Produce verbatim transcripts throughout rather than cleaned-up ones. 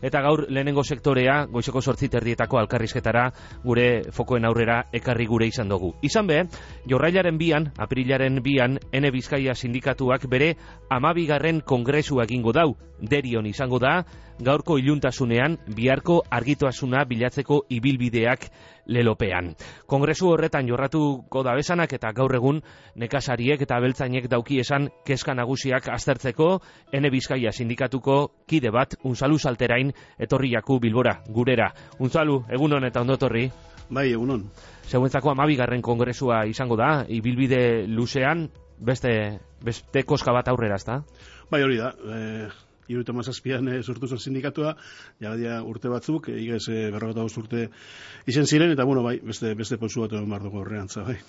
eta gaur lehenengo sektorea goizeko zortzi terdietako alkarrizketara gure fokoen aurrera ekarri gure izan dugu. Izan be, jorrailaren bian, aprilaren bian, Ene Bizkaia sindikatuak bere amabigarren kongresua egingo dau, derion izango da, gaurko iluntasunean, biharko argituasuna bilatzeko ibilbideak lelopean. Kongresu horretan jorratuko da besanak eta gaur egun nekazariek eta abeltzainek dauki esan kezka nagusiak aztertzeko Ene Bizkaia sindikatuko kide bat, Unzalu Salterain, etorriaku Bilbora, gurera. Unzalu, egunon eta ondotorri. Bai, egunon. Zeuentzako amabigarren kongresua izango da, ibilbide luzean, beste, beste koska bat aurrera, ezta? Bai, hori da. E... Iruita mazazpian e, sortu zen sindikatua, jagadia urte batzuk, igez e, berrogeta bost urte izen ziren, eta bueno, bai, beste, beste pozu bat egon barduko horrean, bai.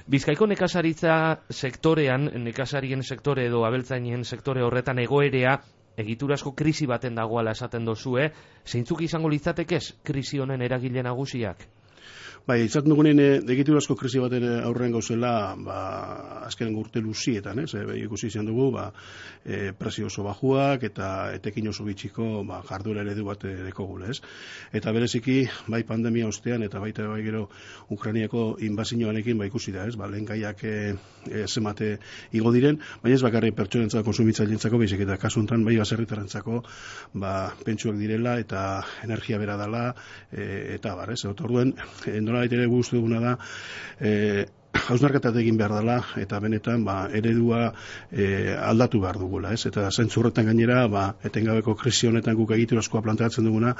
Bizkaiko nekazaritza sektorean, nekazarien sektore edo abeltzainen sektore horretan egoerea, egiturazko krisi baten dagoala esaten dozue, zeintzuk izango litzatekez krisi honen eragile nagusiak? Bai, izaten dugunen egiturazko krisi baten aurrean gauzela, ba, azkenen urte luzietan, ez? E, ikusi izan dugu, ba, e, prezio oso bajuak eta etekin oso bitxiko ba, jarduera eredu bat dekogule, ez? Eta bereziki, bai pandemia ostean eta baita bai gero Ukrainiako inbazioanekin ba, ikusi da, ez? Ba, lehen gaiak e, e, zemate igo diren, baina ez bakarri pertsonentzako, konsumitzaileentzako, baizik eta kasu honetan bai baserritarrentzako ba, pentsuak direla eta energia bera dela, e, eta bar, ez? Eta orduen, e, nolabait ere guztu duguna da, e, hausnarketat egin behar dela, eta benetan ba, eredua e, aldatu behar dugula, ez? Eta zentzu horretan gainera, ba, etengabeko krisi honetan guk egiturazkoa planteatzen duguna,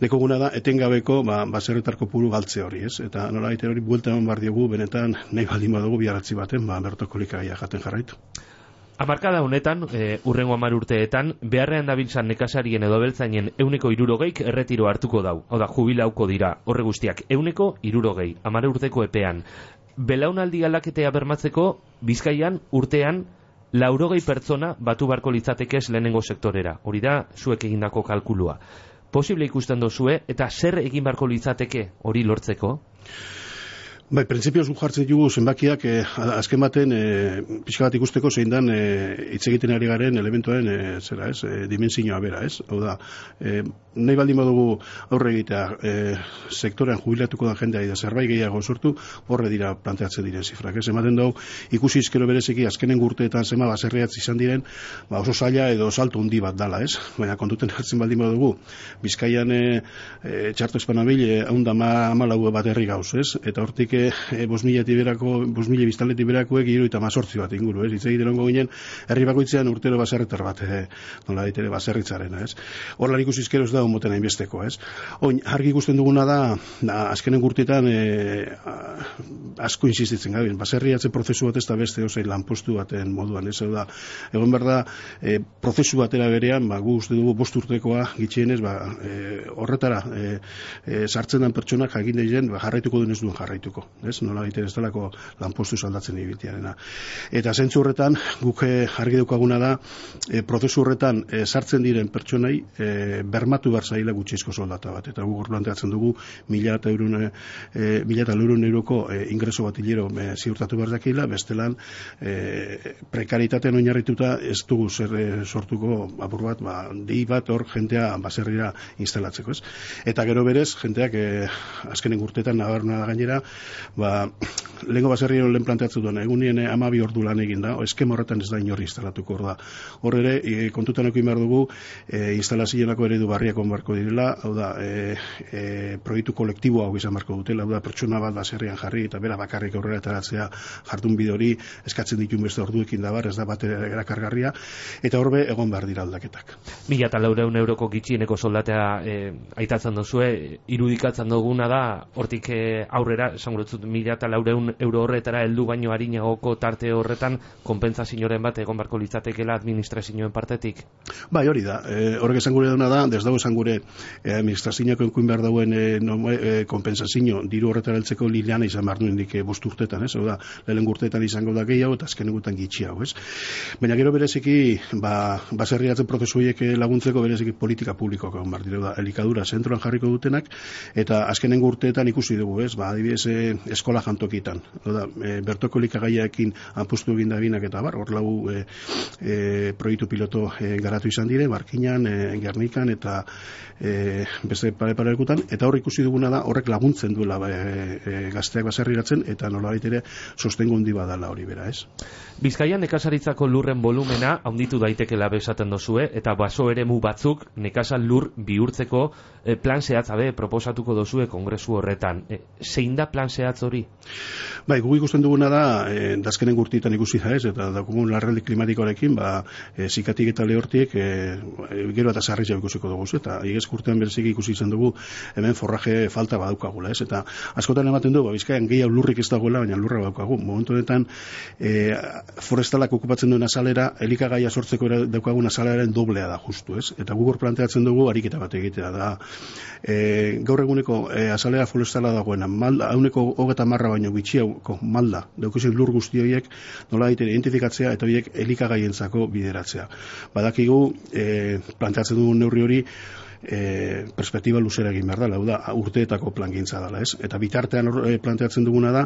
dekoguna da, etengabeko ba, baserritarko puru galtze hori, ez? Eta nolabait ere hori buelta eman behar diogu, benetan nahi baldin badugu biharatzi baten, ba, bertoko likaia jaten jarraitu. Amarkada honetan, e, urrengo hamar urteetan, beharrean dabiltzan nekazarien edo abeltzainen euneko hirurogeik erretiro hartuko dau. Hau da, jubilauko dira, horre guztiak, euneko hirurogei, hamar urteko epean. Belaunaldi aldaketea bermatzeko, Bizkaian urtean, laurogei pertsona batu barko litzatekez lehenengo sektorera. Hori da, zuek egindako kalkulua. Posible ikusten dozue, eta zer egin barko litzateke hori lortzeko? Bai, printzipioz gu jartzen dugu zenbakiak eh, azken baten eh, pixka bat ikusteko zein dan eh, hitz egiten ari garen elementuaren eh, zera ez, eh, dimensioa bera, ez? Hau da, eh, nahi baldin badugu aurre egitea eh, sektorean jubilatuko da jendea da zerbait gehiago sortu, horre dira planteatzen diren zifrak, ez? Ematen dugu ikusi izkero bereziki azkenen urteetan zema baserriatz izan diren, ba oso zaila edo salto handi bat dala, ez? Baina kontuten hartzen baldin badugu, Bizkaian eh, eh, txarto espanabil eh, haunda amalau bat herri gauz, ez? Eta hortik E, bos mila tiberako, bos mila biztanleti berakoek hiru eta mazortzi bat inguru, ez? Hitz egiten ongo ginen, herri bakoitzean urtero baserritar bat, e, nola ditere baserritzarena, ez? Horlan ikusi izkero ez da onmoten hainbesteko, ez? Oin, argi ikusten duguna da, da azkenen gurtetan e, asko insistitzen gaben, baserriatzen prozesu bat ez da beste ozein lanpostu baten moduan, ez? Da, egon behar da, e, prozesu batera berean, ba, gu uste dugu bost urtekoa gitxienez, ba, e, horretara e, e, sartzen den pertsonak jakin daizen, ba, jarraituko duen ez duen jarraituko. Ez, nola egiten ez delako lanpostu saldatzen ibitiarena. Eta zentzu horretan, guk argi daukaguna da, e, prozesu horretan e, sartzen diren pertsonai e, bermatu behar zaila gutxizko soldata bat. Eta guk planteatzen dugu mila eta eurun e, mila eta eurun euroko e, ingreso bat hilero e, ziurtatu behar dakila, bestelan e, prekaritatean oinarrituta ez dugu zer e, sortuko apur bat, ba, dei bat hor jentea baserrira instalatzeko, ez? Eta gero berez, jenteak e, azkenen urtetan nabarna gainera, ba, lehenko baserrien lehen planteatzen duen, egunien amabi ordu lan egin da, eskema horretan ez da inorri instalatuko hor da. Hor ere, e, kontutan eko behar dugu, e, instalazionako eredu barriak onbarko direla, hau da, e, e, proiektu kolektiboa hau izan barko dutela, hau da, pertsona bat baserrian jarri, eta bera bakarrik aurrera etaratzea jardun bidori, eskatzen ditun beste orduekin da bar, ez da bat erakargarria, eta horbe egon behar dira aldaketak. Mila eta laureun euroko gitxieneko soldatea e, aitatzen dozue, irudikatzen duguna da, hortik e, aurrera, esan guretzut, mila eta laureun euro horretara heldu baino harinagoko tarte horretan konpentsazioren bat egon barko litzatekela administrazioen partetik? Bai, hori da. E, horrek esan gure duna da, ez dago esan gure e, administrazioak enkuin behar dauen e, no, e, konpentsazio diru horretara heltzeko lileana izan behar duen dik e, bost urtetan, ez? Hau da, lehen urteetan izango da gehiago eta azken egutan gitxiago, ez? Baina gero bereziki, ba, baserriatzen prozesu horiek laguntzeko bereziki politika publikoak egon behar dira, da, elikadura zentroan jarriko dutenak, eta azkenen urteetan ikusi dugu, ez? Ba, adibidez, e, e, eskola jantokitan. Oda, e, bertoko elikagaiaekin apustu egin da binak eta bar, hor lau e, e, proiektu piloto e, garatu izan dire, Barkinan, e, Gernikan eta e, beste pare-pare lekutan, eta hor ikusi duguna da, horrek laguntzen duela e, e, gazteak baserriratzen, eta nolabait ere sostengo handi badala hori bera, ez? Bizkaian nekazaritzako lurren volumena handitu daitekela besaten dozue, eta baso eremu batzuk nekazal lur bihurtzeko e, plan zehatzabe proposatuko dozue kongresu horretan. E, zein da plan zehatz hori? Bai, gu ikusten duguna da, e, dazkenen gurtietan ikusi da ez, eta daukugun larraldi klimatikoarekin, ba, e, zikatik eta lehortiek, e, gero eta sarriz jau ikusiko dugu, eta igez kurtean berezik ikusi izan dugu, hemen forraje falta badaukagula, ez, eta askotan ematen du, ba, Bizkaian gehiago lurrik ez dagoela, baina lurra badaukagu. Momentu honetan, e, forestalak okupatzen duen azalera, elikagaia sortzeko daukagun azalaren doblea da justu, ez, eta gugor planteatzen dugu ariketa bat egitea da. E, gaur eguneko e, azalera forestala dagoena, malda, hauneko hogeta marra baino bitxiauko malda, daukuzik lur guzti horiek nola egiten identifikatzea eta horiek elikagaientzako bideratzea. Badakigu, e, planteatzen dugun neurri hori, E, perspektiba luzera egin behar da, hau da, urteetako plangintza dela, ez? Eta bitartean e, planteatzen duguna da,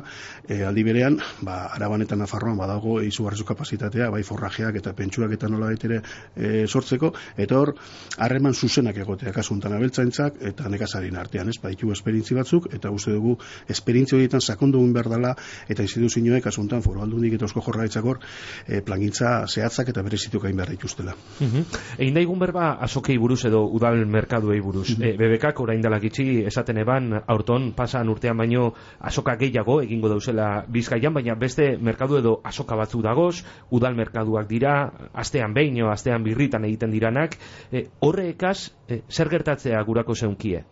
e, aldi berean, ba, Araban eta Nafarroan badago izugarrizko kapazitatea, bai forrajeak eta pentsuak eta nola baitere e, sortzeko, eta hor, harreman zuzenak egotea, kasuntan abeltzaintzak eta nekazarien artean, ez? Baditu esperintzi batzuk, eta uste dugu, esperintzi horietan sakondu egin behar dela, eta instituzioek kasuntan foru aldundik eta eusko jorraritzakor e, plangintza zehatzak eta berezituk egin behar dituztela. Uh-huh. Egin daigun berba, azokei buruz edo udal merkaduei buruz. Mm-hmm. E, B B Kak orain dela gitxi esaten eban aurton pasan urtean baino azoka gehiago egingo dauzela Bizkaian, baina beste merkadu edo azoka batzu dagoz, udal merkaduak dira, astean behin o astean birritan egiten diranak, e, horrekaz e, zer gertatzea gurako zeunkie?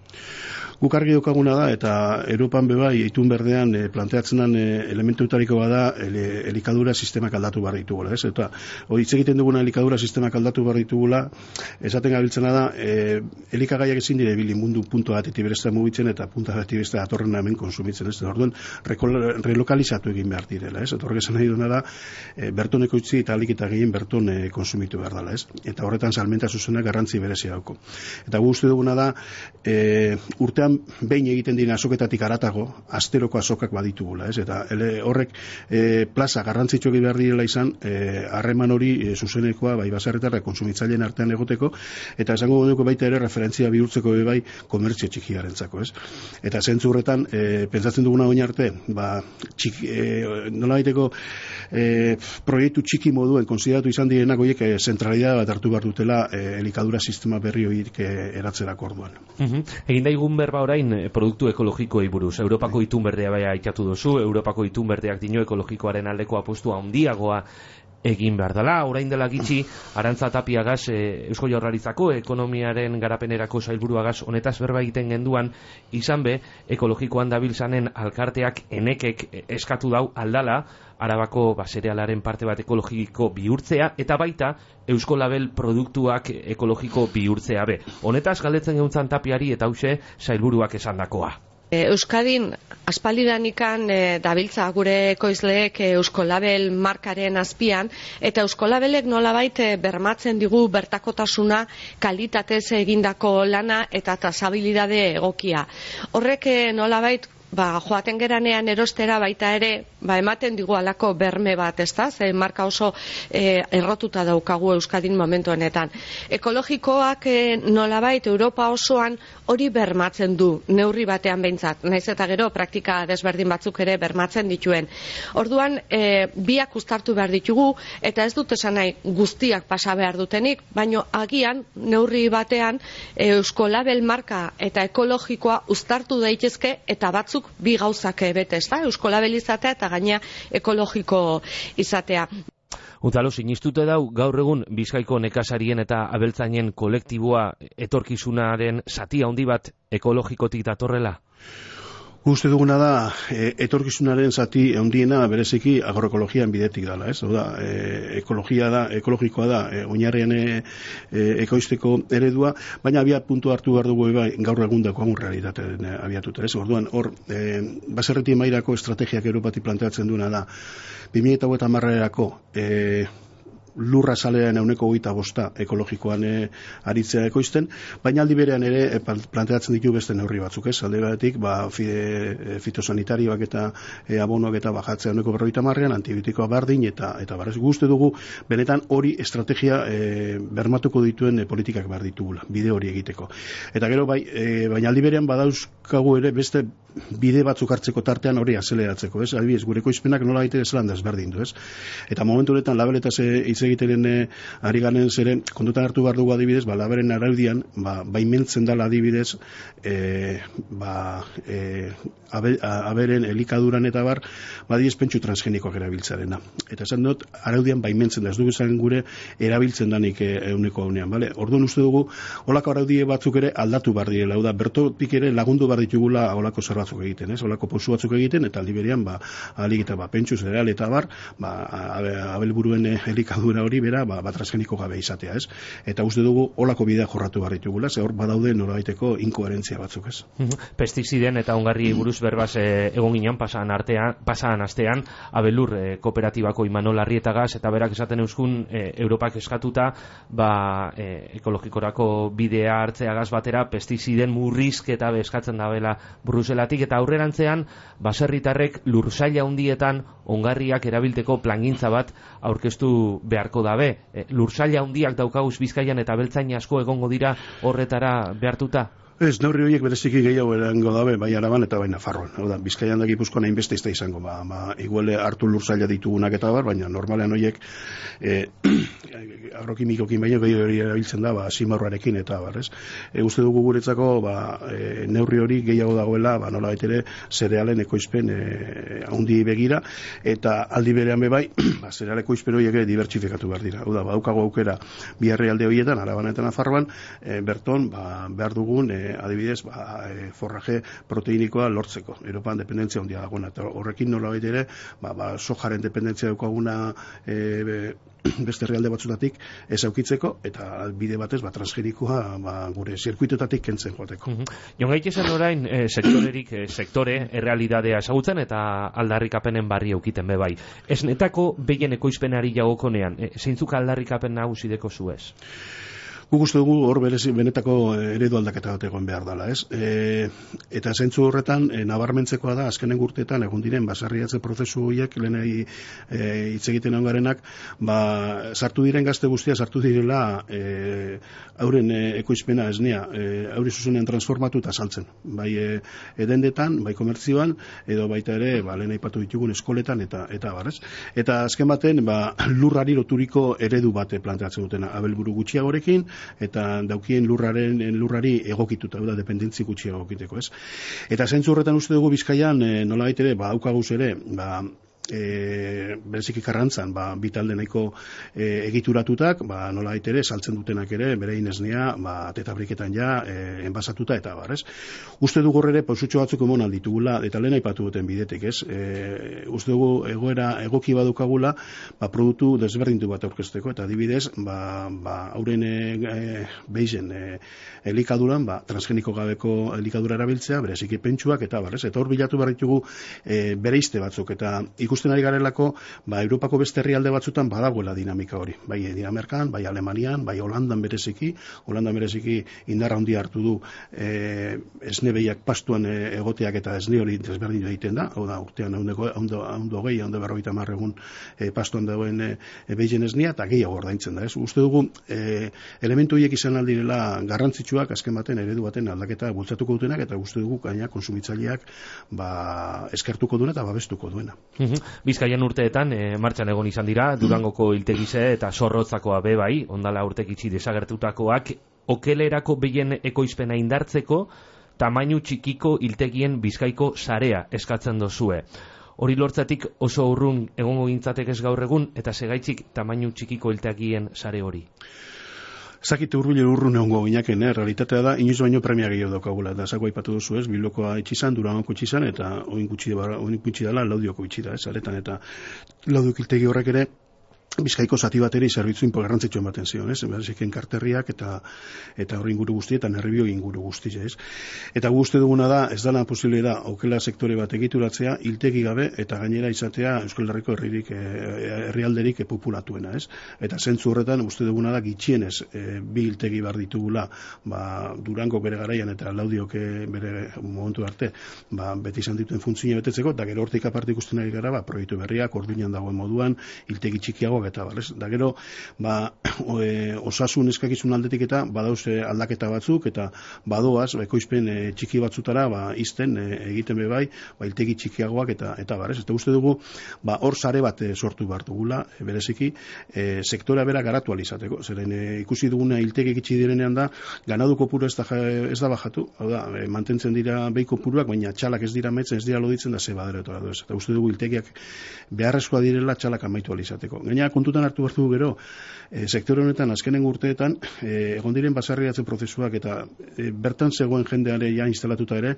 Guk argi daukaguna da, eta Europan bebai, itun berdean e, planteatzen den e, elementutariko bada ele, elikadura sistemak aldatu behar ditugula, ez? Eta hori hitz egiten duguna elikadura sistemak aldatu behar ditugula, esaten gabiltzena da, e, elikagaiak ezin dire bili mundu puntu bat etibirezta mugitzen eta punta bat etibirezta atorren hemen konsumitzen, ez? Orduan, relokalizatu egin behar direla, ez? Eta horrek esan nahi duena da, e, bertoneko utzi eta alik eta gehien berton e, konsumitu behar dela, ez? Eta horretan salmenta zuzena garrantzi berezia dauko. Eta gu uste duguna da, e, urtean behin egiten dira azoketatik aratago, asteroko azokak baditugula, ez? Eta ele, horrek e, plaza garrantzitsuak behar direla izan, harreman e, hori e, zuzenekoa, bai baserritarra konsumitzaileen artean egoteko, eta esango dugu baita ere referentzia bihurtzeko bai komertzio txikiarentzako, ez? Eta zentzu horretan, e, pentsatzen duguna oin arte, ba, txiki, e, nola baiteko e, proiektu txiki moduen konsideratu izan direnak horiek e, zentralidad bat hartu behar dutela e, elikadura sistema berri horiek e, eratzerako orduan. Uh-huh. Egin daigun berba orain produktu ekologikoei buruz. Europako itunberdea bai aitatu duzu, Europako itunberdeak dino ekologikoaren aldeko apustua handiagoa egin behar dela. Orain dela gitxi, Arantza Tapiagaz, e, Eusko Jaurlaritzako ekonomiaren garapenerako sailburuagaz honetaz berba egiten genduan, izan be, ekologikoan dabiltzanen alkarteak enekek eskatu dau aldala, Arabako baserealaren parte bat ekologiko bihurtzea, eta baita Eusko Label produktuak ekologiko bihurtzea be. Honetaz galdetzen geuntzan Tapiari eta hause sailburuak esandakoa. Euskadin aspaldidanikan e, dabiltza gure ekoizleek e, Euskolabel markaren azpian, eta Euskolabelek nolabait e, bermatzen digu bertakotasuna, kalitatez egindako lana eta trazabilidade egokia. Horrek e, nolabait ba, joaten geranean erostera baita ere, ba, ematen digu alako berme bat, ezta? Ze marka oso e, errotuta daukagu Euskadin momentu honetan. Ekologikoak e, nolabait Europa osoan hori bermatzen du, neurri batean behintzat, naiz eta gero praktika desberdin batzuk ere bermatzen dituen. Orduan, e, biak uztartu behar ditugu, eta ez dut esan nahi guztiak pasa behar dutenik, baino agian, neurri batean, e, Euskolabel marka eta ekologikoa uztartu daitezke, eta batzuk bi gauzak bete, ez da? Euskolabel izatea eta gaina ekologiko izatea. Unzalo, sinistute dau, gaur egun Bizkaiko nekazarien eta abeltzainen kolektiboa etorkizunaren zati handi bat ekologikotik datorrela? Uste duguna da, e, etorkizunaren zati handiena bereziki agroekologian bidetik dela, ez? Oda, e, ekologia da, ekologikoa da, e, oinarrian e, e, ekoizteko eredua, baina abia puntu hartu behar dugu bai, gaur egun dagoagun realitateen e, abiatuta, ez? Orduan, hor, e, baserreti mailako estrategiak Europatik planteatzen duena da, bi mila hogeita hamarerako e, lurra salean euneko hogeita bosta ekologikoan e, aritzea ekoizten, baina aldi berean ere e, planteatzen ditu beste neurri batzuk, ez? Alde batetik, ba, fide, fitosanitarioak eta e, abonoak eta bajatzea euneko berrogeita hamarrean, antibiotikoa bardin eta eta barrez guzti dugu, benetan hori estrategia e, bermatuko dituen e, politikak behar ditugula, bide hori egiteko. Eta gero, bai, e, baina aldi berean badauzkagu ere beste bide batzuk hartzeko tartean hori azeleratzeko, ez? Adibidez, gure ekoizpenak nola gaite zelan desberdin du, ez? Eta momentu honetan labeletaz hitz egiteren e, ari garen zeren, kontutan hartu behar dugu adibidez, ba, laberen araudian, ba, baimentzen dela adibidez, e, ba, e, abe, aberen elikaduran eta bar, badiez pentsu transgenikoak erabiltzarena. Eta esan dut, araudian baimentzen da, ez dugu esan gure erabiltzen danik e, euneko haunean, bale? Orduan uste dugu, holako araudie batzuk ere aldatu behar direla, hau da, bertotik ere lagundu behar ditugula holako zer batzuk egiten, ez? Holako posu batzuk egiten, eta aldi berean, ba, alik eta ba, pentsu zereal eta bar, ba, abelburuen elikadura hori bera, ba, ba transgeniko gabe izatea, ez? Eta uste dugu holako bidea jorratu behar ditugula, ze hor badaude norabaiteko inkoherentzia batzuk, ez? Pestiziden eta ongarri buruz berbaz e, egon ginen pasan artean, pasan astean, abelur e, kooperatibako Imanol Arrietagaz, eta berak esaten euskun e, Europak eskatuta, ba, e, ekologikorako bidea hartzeagaz batera, pestiziden murrizketa eskatzen dabela Bruselatik, eta aurrerantzean, baserritarrek lursaila handietan ongarriak erabilteko plangintza bat aurkeztu beharko dabe. E, lursaila handiak daukaguz Bizkaian eta beltzain asko egongo dira horretara behartuta? Ez, neurri horiek bereziki gehiago erango dabe, bai Araban eta bai Nafarroan. Hau da, Bizkaian da Gipuzkoan hainbeste izta izango, ba, ba, iguale hartu lursaila ditugunak eta bar, baina normalean horiek e, agrokimikokin baino gehiago hori erabiltzen da, ba, simarroarekin eta bar, ez? E, uste dugu guretzako, ba, e, neurri hori gehiago dagoela, ba, nola baitere, zerealen ekoizpen e, haundi begira, eta aldi berean be bai, ba, zereal ekoizpen horiek dibertsifikatu behar dira. Hau da, badaukago aukera bi herrialde horietan, Araban eta Nafarroan, e, berton, ba, behar dugun, e, adibidez, ba, e, forraje proteinikoa lortzeko. Europan dependentzia handia dagoena, eta horrekin nolabait ere, ba, ba, sojaren dependentzia daukaguna e, be, beste herrialde batzutatik ez aukitzeko, eta bide batez, ba, transgenikoa ba, gure zirkuitotatik kentzen joateko. Mm -hmm. Jon gaitezen orain, e, sektorerik, e, sektore, errealidadea esagutzen, eta aldarrikapenen barri eukiten be bai. Esnetako behien ekoizpenari jagokonean, e, zeintzuk aldarrikapen nagusideko zuez? Guk uste dugu hor berezi benetako eredu aldaketa bat egon behar dela, ez? E, eta zentzu horretan, e, nabarmentzekoa da, azkenen urteetan egon diren, basarriatze prozesu horiek, lehenei hitz e, egiten ongarenak, ba, sartu diren gazte guztia, sartu direla e, hauren e, ekoizpena esnea, e, hauri zuzenean transformatu eta saltzen. Bai e, edendetan, bai komertzioan, edo baita ere, ba, lehen aipatu ditugun eskoletan, eta eta barrez. Eta azken baten, ba, lurrari loturiko eredu bate planteatzen dutena, abelburu gutxiagorekin, eta daukien lurraren lurrari egokituta, da dependentzi gutxi egokiteko, ez? Eta zentzu horretan uste dugu Bizkaian e, nolabait ere, ba daukaguz ere, ba E, bereziki Karrantzan, ba, bitalde nahiko e, egituratutak, ba, nola ere, saltzen dutenak ere, bere inesnea, ba, tetabriketan ja, e, enbasatuta eta bar, ez? Uste dugu ere, pausutxo batzuk emon alditugula, eta lehen aipatu duten bidetik, ez? E, uste dugu egoera egoki badukagula, ba, produktu desberdintu bat aurkezteko, eta adibidez, ba, ba, hauren e, beizen e, elikaduran, ba, transgeniko gabeko elikadura erabiltzea, bereziki pentsuak, eta bar, ez? Eta hor bilatu behar ditugu e, bereizte batzuk, eta ikusten ari garelako, ba, Europako beste herrialde batzutan badagoela dinamika hori. Bai Dinamarkan, bai Alemanian, bai Holandan bereziki, Holandan bereziki indarra handia hartu du e, esnebeiak pastuan e, egoteak eta esne hori desberdin egiten da, hau da, urtean ondo gehi, ondo berrogeita hamar egun e, pastuan dagoen e, behizen esnea, eta gehiago ordaintzen da, ez? Uste dugu, e, elementu horiek izan aldirela garrantzitsuak, azken baten, eredu baten aldaketa bultzatuko dutenak, eta uste dugu gaina konsumitzaileak ba, eskertuko duena eta babestuko duena. Bizkaian urteetan e, martxan egon izan dira, Durangoko iltegize eta Zorrotzakoa be bai, ondala urtekitzi desagertutakoak, okelerako behien ekoizpena indartzeko, tamainu txikiko iltegien Bizkaiko sarea eskatzen dozue. Hori lortzatik oso urrun egongo gintzatek ez gaur egun, eta segaitzik tamainu txikiko iltegien sare hori? Zakite urbilen urrun egongo ginaken, eh? Realitatea da, inoiz baino premia gehiago daukagula, eta zako aipatu duzu ez, Bilbokoa itxizan, Durangoko itxizan, eta oin gutxi dela Laudioko itxi da, ez, aretan, eta Laudiok iltegi horrek ere, Bizkaiko zati bateri zerbitzu garrantzitsu ematen zion, ez? Bereziki karterriak eta eta hori inguru guztietan herribio inguru guztia, ez? Eta gu uste duguna da, ez dana posible da aukela sektore bat egituratzea hiltegi gabe eta gainera izatea Euskal Herriko herririk herrialderik populatuena, ez? Eta zentzu horretan uste duguna da gitxienez e, bi hiltegi bar ditugula, ba Durango bere garaian eta Laudiok bere momentu arte, ba beti izan dituen funtzioa betetzeko, eta gero hortik aparte ikusten ari gara, ba proiektu berriak orduinan dagoen moduan hiltegi txikiago eta balez, da gero ba, e, osasun eskakizun aldetik eta badauze aldaketa batzuk eta badoaz, ekoizpen e, txiki batzutara ba, izten e, egiten be bai, ba, iltegi txikiagoak eta eta barez, eta uste dugu ba, hor sare bat e, sortu behar dugula e, bereziki, e, sektorea bera garatu alizateko, zeren e, ikusi duguna iltegi gitxi direnean da, ganadu kopuru ez da, ez da bajatu, hau da, e, mantentzen dira behi kopuruak, baina txalak ez dira metzen, ez dira loditzen da ze badera eta uste dugu iltegiak beharrezkoa direla txalak amaitu alizateko. Gaina kontutan hartu behar dugu gero, e, sektore honetan azkenen urteetan e, egon diren basarriatze prozesuak eta e, bertan zegoen jendeare ja instalatuta ere,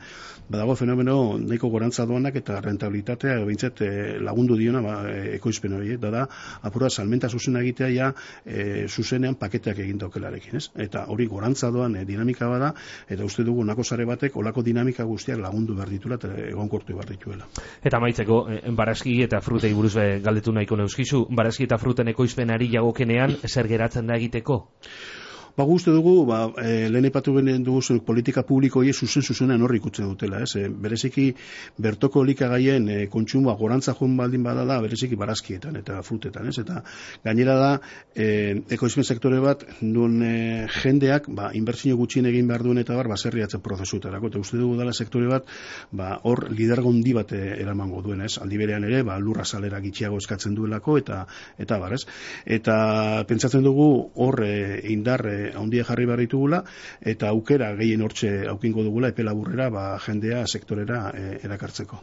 badago fenomeno nahiko gorantza doanak eta rentabilitatea behintzat e, lagundu diona ba, e, ekoizpen hori, da da apura salmenta zuzena egitea ja e, zuzenean paketeak egin daukelarekin, ez? Eta hori gorantza doan e, dinamika bada, eta uste dugu nako sare batek olako dinamika guztiak lagundu behar ditula eta egonkortu behar dituela. Eta maitzeko, e, barazki eta frutei buruz be, galdetu nahiko neuskizu, barazki eta fruten ekoizpenari jagokenean zer geratzen da egiteko? Ba, guzti dugu, ba, e, lehen epatu benen dugu politika publiko hie zuzen zuzenean horri ikutzen dutela, ez? E, bereziki bertoko elikagaien e, kontsumoa gorantza joan baldin bada da, bereziki barazkietan eta frutetan, ez? Eta gainera da, e, ekoizpen sektore bat, duen e, jendeak, ba, inbertsio gutxien egin behar duen eta bar, baserriatzen prozesutarako, eta uste dugu dela sektore bat, ba, hor lidergo handi bat eramango duen, ez? Aldi berean ere, ba, lurra salera gitxiago eskatzen duelako, eta, eta bar, ez? Eta pentsatzen dugu hor e, indar e, handia jarri behar ditugula, eta aukera gehien hortxe aukingo dugula epe laburrera ba, jendea sektorera e, erakartzeko.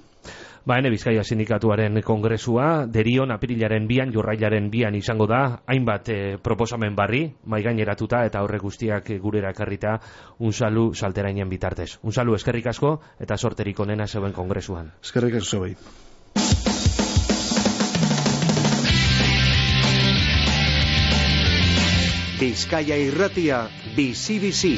Ba, Ene Bizkaia Sindikatuaren kongresua, derion apirilaren bian, jorrailaren bian izango da, hainbat e, proposamen barri, maigaineratuta eta horre guztiak gurera ekarrita unsalu salterainen bitartez. Unsalu, eskerrik asko eta sorterik onena zeuen kongresuan. Eskerrik asko zeuen. Bizkaia Irratia, bizi-bizi.